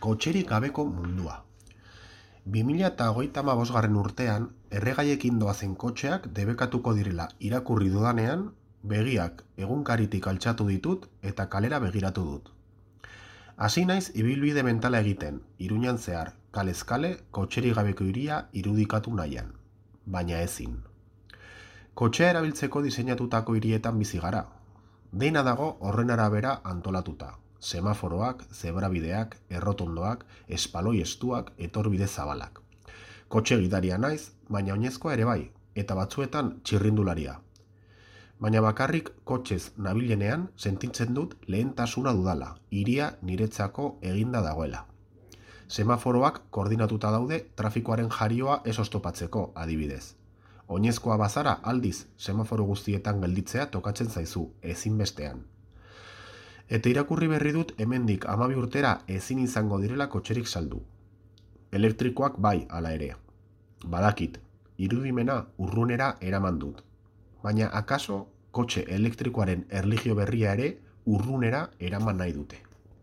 Kotxerik gabeko mundua. 2025 urtean, erregaiekin doazen kotxeak debekatuko direla irakurri dudanean, begiak egunkaritik altxatu ditut eta kalera begiratu dut. Hasi naiz ibilbide mentala egiten, Iruñan zehar, kalez kale, kotxerik gabeko hiria irudikatu nahian. Baina ezin. Kotxea erabiltzeko diseinatutako hirietan bizi gara. Dena dago horren arabera antolatuta. Semaforoak, zebrabideak, errotondoak, espaloi estuak, etorbide zabalak. Kotxe gidaria naiz, baina oinezkoa ere bai, eta batzuetan txirrindularia. Baina bakarrik kotxez nabilenean sentitzen dut lehentasuna dudala, hiria niretzako eginda dagoela. Semaforoak koordinatuta daude trafikoaren jarioa ez oztopatzeko, adibidez. Oinezkoa bazara aldiz, semaforo guztietan gelditzea tokatzen zaizu, ezinbestean. Eta irakurri berri dut hemendik 12 urtera ezin izango direla kotxerik saldu. Elektrikoak bai hala ere. Badakit, irudimena urrunera eraman dut. Baina akaso kotxe elektrikoaren erlijio berria ere urrunera eraman nahi dute.